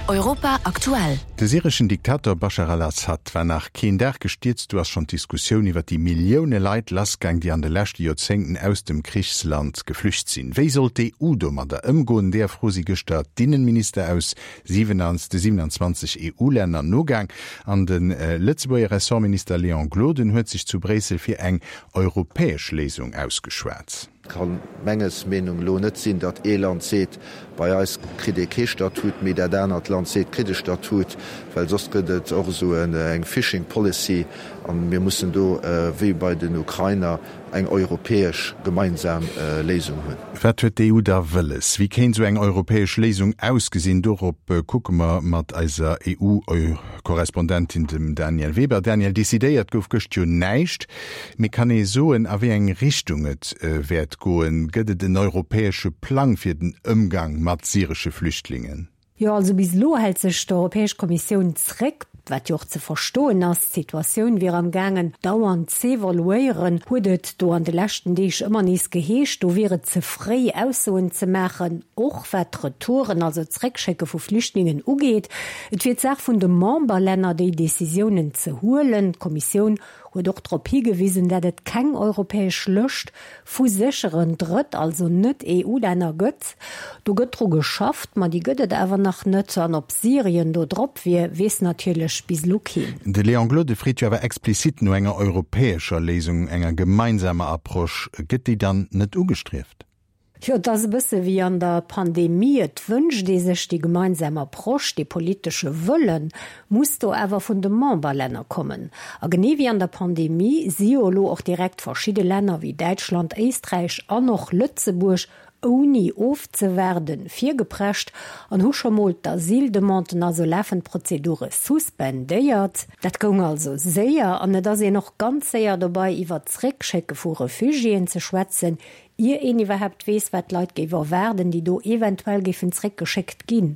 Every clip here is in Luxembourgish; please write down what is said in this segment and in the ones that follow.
Europa aktuell. De syreschen Diktator Baschar al-Assad war nach keen Dag gestierzt, du ass schonn d'Diskussioun iwwer déi Millioune Leit lassgaang, déi an de leschte Joerzéngten aus dem Krichsland geflücht sinn. Wéi soll d'EU domadder ëmgoen? Deeër Fro si gëschter d'Innenminister aus de 27 EU-Länner nogaang. An de Lëtzebuerger Ressortminister Léon Gloden huet sech zu Bréissel fir eng europäesch Léisung ausgeschwat. Et kann menges Meenung elo net sinn, datt ee Land seet, bei eis kritt ee kee Statut, mee dat anert Land seet, kritt e Statut, well soss gëtt et och esou eng Fishing Policy a mir mussen do, wéi bei den Ukrainer, eng europäesch gemeinsam Léisung hunn. Wat huet d'EU da wëlles? Wéi kéint esou eng europäesch Léisung ausgesinn? Dorop kucke mer mat eiser EU-Korrespondentin, dem Danièle Weber. Danièle, decidéiert gouf gëscht jo näischt. Mee kann ee soen, a wéi eng Richtung et wäert goen? Gëtt et en europäesche Plang fir den Ëmgang mat syresche Flüchtlingen? Jo, also bis elo hält sech d'Europäesch Kommissioun zréck, wat jo och ze verstoen ass. D'Situatioun wier am gaangen dauernd z'evoluéieren, huet et do an de leschten Deeg ëmmer nees geheescht. Do wier et ze fréi Aussoen ze maachen, och wat d'Retouren, also d'Zréckschécke vu Flüchtlingen ugeet. Et wier d'Saach vun de Memberlänner, déi Decisiounen ze huelen. D'Kommissioun huet och drop higewisen, dat et keng europäesch Lëscht vu sécheren Drëtt-, also Net-EU-Länner gëtt. Do gëtt dru geschafft, ma déi gëtt et awer nach net. An ob Syrien do drop wier, weess natierlech bis elo keen. De Léon Gloden freet jo awer explizit no enger europäescher Léisung, enger gemeinsamer Approche. Gëtt déi dann net ugestrieft? Jo, et ass e bësse wéi an der Pandemie, Et wënscht ee sech déi gemeinsam Approche, dee politesche Wëlle muss do awer vun de Memberlänner kommen. A genee wéi an der Pandemie si jo elo och direkt verschidde Länner wéi Däitschland, Éisträich an och Lëtzebuerg ouni ofzewaarden virgeprescht an hu scho mol d'Asyldemanden, also lafend Prozedure suspendéiert. Dat goung also séier an et ass een och ganz séier dobei iwwert d'Zréckschécke vu Refugiéen ze schwätzen, Ier een iwwerhaapt weess, wat d'Leit géif erwaarden, déi do eventuell géifen zréckgeschéckt ginn.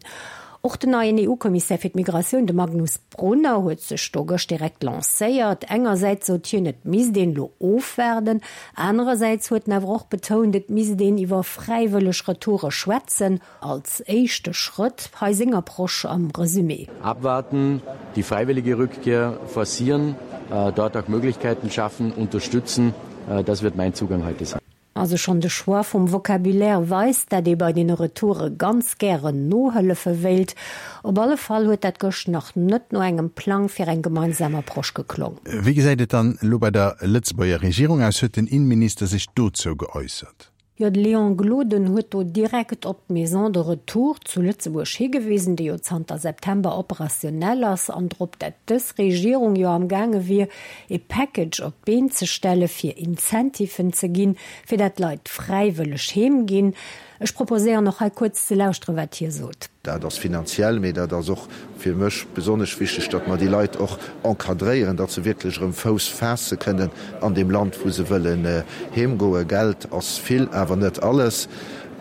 Och den neien EU-Kommissär fir d'Migratioun, de Magnus Brunner, huet sech do gëscht direkt lancéiert. Engersäits sot hien, et misst een elo ofwaarden, anerersäits huet en awer och betount, et misst een iwwer fräiwëlleg Retoure schwätzen, als éischte Schrëtt. Hei seng Approche am Resumé. Abwarten, die freiwillige Rückkehr forcieren, dort auch Möglichkeiten schaffen, unterstützen, das wird mein Zugang heute sein. Also schonn de Choix vum Vocabulaire weist, dat ee bei deene Retoure ganz gären nohëllefe wéilt. Op alle Fall huet dat gëscht nach net no engem Plang fir eng gemeinsam Approche geklong. Wéi gesäit et dann elo bei der Lëtzebuerger Regierung aus? Huet den Innenminister sech dozou geäussert? Jo, de Léon Gloden huet do direkt op d'Maison de retour zu Lëtzebuerg higewisen, déi jo zanter September operationell ass, an drop, dat dës Regierung jo am gaange wier, e Package op d'Been ze stelle fir Incentiven ze ginn, fir dat d'Leit fräiwëlleg heem ginn. Ech proposéieren och hei kuerz ze lauschteren, wat hie sot. Dat ass finanziell, mee dat ass och fir mech besonnesch wichteg, datt mer déi Leit och encadréieren, datt se wierklech erëm Fouss faasse kënnen an deem Land, wou se wëllen heemgoen. Geld ass vill, awer net alles.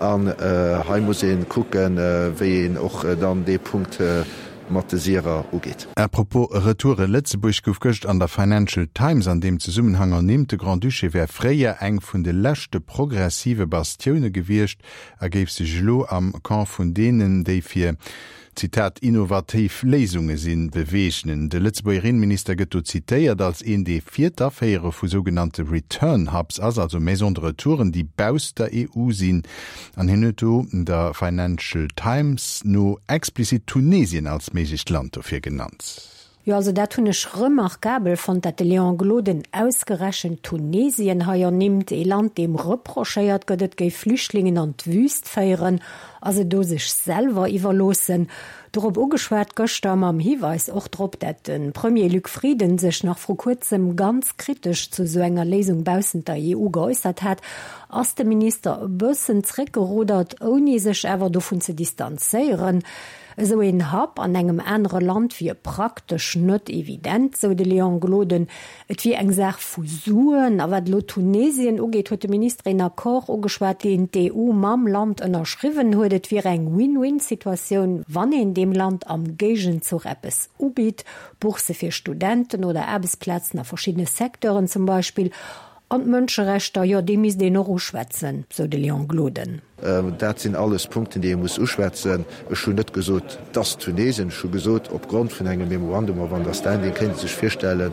An hei muss ee kucken, wéi een och dann dee Punkt mat de Syrer ugeet. À propos Retouren, Lëtzebuerg gouf gëscht an der Financial Times an deem Zesummenhang ernimmt. De Grand-Duché wär fréier eng vun de leschte progressive Bastioune gewiescht a géif sech elo am Camp vun deenen, déi fir, Zitat, innovativ Léisunge sinn, beweegnen. De Lëtzebuerger Innenminister gëtt do zitéiert als een, dee fir d'Aféiere vu sougenannte Return Hubs ass, also Maisons de retouren, déi bausst der EU sinn. An hien huet do der Financial Times no explizit Tunesien als méiglecht Land dofir genannt. Jo, also dat hunn ech remarkabel fonnt, dat de Léon Gloden ausgerechent Tunesien hei ernimmt, ee Land, deem reprochéiert gëtt, et géif Flüchtlingen an d'Wüst féieren a se do sech selwer iwwerloossen. Dorop ugeschwat gëschter, mam Hiweis och drop, dat de Premier Luc Frieden sech nach vru kuerzem ganz kritesch zu esou enger Léisung baussent der EU geäussert hat, ass de Minister e bëssen zréckgerudert, ouni sech awer dovun ze distanzéieren. Esou een Hub an engem anere Land wier praktesch net evident, sou de Léon Gloden. Et wier eng Saach vu Suen. A wat elo Tunesien ugeet, huet de Minister een Accord ugeschwat, deen d'EU mam Land ënnerschriwwen huet. Et wier eng Win-win-Situatioun, wann een deem Land am Géigenzuch eppes ubitt, Boursse fir Studenten oder Aarbechtsplazen a verschiddene Secteuren zum Beispill. An d'Mënscherechter, jo, déi misst een och uschwätzen, sou de Léon Gloden. Dat sinn alles Punkten, déi ee muss uschwätzen. Ech hunn net gesot, dass Tunesien. Ech hu gesot, opgrond vun engem Memorandum of Understanding kéint ee sech virstellen,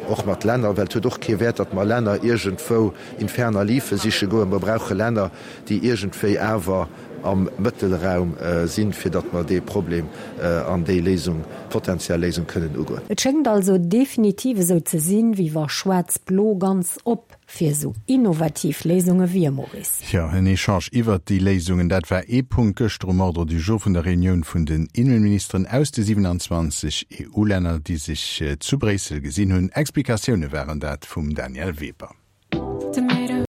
och mat Länner, well et huet och kee Wäert, datt mer Länner iergendwou in ferner liefe siche goen. Mer brauche Länner, déi iergendwéi awer am Mëttelraum sinn, fir datt mer dee Problem an déi Léisung, potenziell Léisung kënnen ugoen. Et schéngt also definitiv esou ze sinn, wéi wa Schwaarz-Blo ganz op fir esou innovativ Léisunge wier, Maurice. Jo, en Echange iwwert déi Léisungen, dat war ee Punkt gëschter um Ordre du jour vun der Reunioun vun den Innenministeren aus de 27 EU-Länner, déi sech zu Bréissel gesinn hunn. Explikatioune waren dat vum Danièle Weber.